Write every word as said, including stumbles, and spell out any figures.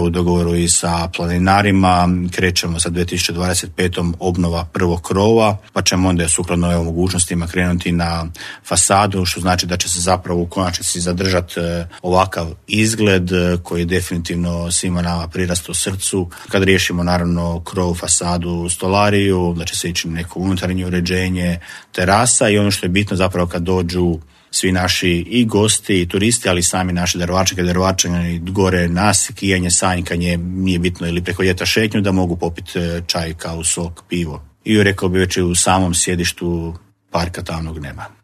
u dogovoru i sa planinarima. Krećemo sa dvije tisuće dvadeset petom obnova prvog krova, pa ćemo onda sukladno ovim mogućnostima krenuti na fasadu, što znači da će se zapravo u konačnici zadržati ovakav izgled koji je definitivno svima nama prirastao srcu. Kad riješimo naravno krov, fasadu, stolariju, da će se ići neko unutarnje uređenje, terasa i ono što je bitno zapravo kad dođu svi naši i gosti i turisti, ali i sami naši darovačani, darovačani gore nas, kijanje, sanjkanje, nije bitno, ili preko ljeta šetnju, da mogu popiti čaj, kavu, sok, pivo. I rekao bi već u samom sjedištu parka Tamnog neba.